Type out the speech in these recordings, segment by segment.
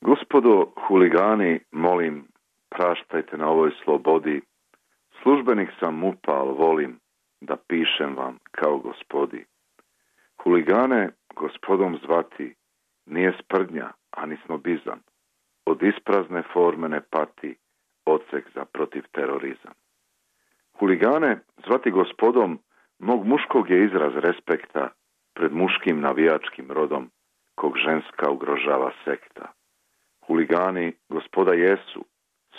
Gospodo huligani, molim, praštajte na ovoj slobodi. Službenik sam MUP-a, al volim da pišem vam kao gospodi. Huligane gospodom zvati nije sprdnja, ani snobizam. Od isprazne forme ne pati odsek za protiv terorizam. Huligane zvati gospodom mog muškog je izraz respekta pred muškim navijačkim rodom kog ženska ugrožava sekta. Huligani gospoda jesu,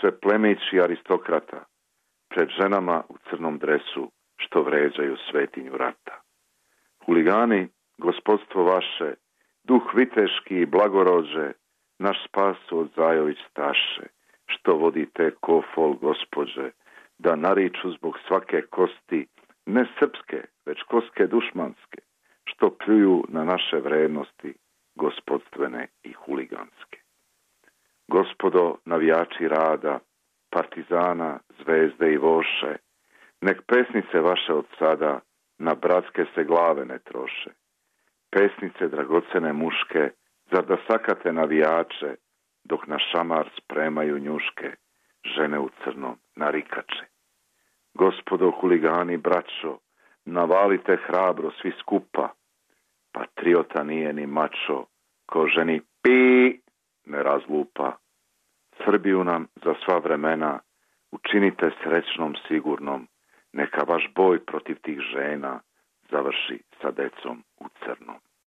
sve plemići aristokrata, pred ženama u crnom dresu što vređaju svetinju rata. Huligani, gospodstvo vaše, duh viteški i blagorođe, naš spas od Zajović staše, što vodite ko fol gospođe, da nariču zbog svake kosti, ne srpske, već koske dušmanske, što pljuju na naše vrednosti, gospodstvene i huliganske. Gospodo navijači rada, partizana, zvezde i voše, nek pesnice vaše od sada na bratske se glave ne troše. Pesnice dragocene muške, zar da sakate navijače, dok na šamar spremaju njuške, žene u crnom narikače. Gospodo huligani, braćo, navalite hrabro svi skupa, patriota nije ni mačo, ko ženi pi ne razlupa. Srbiju nam za sva vremena učinite srećnom sigurnom, neka vaš boj protiv tih žena završi sa decom u crnom.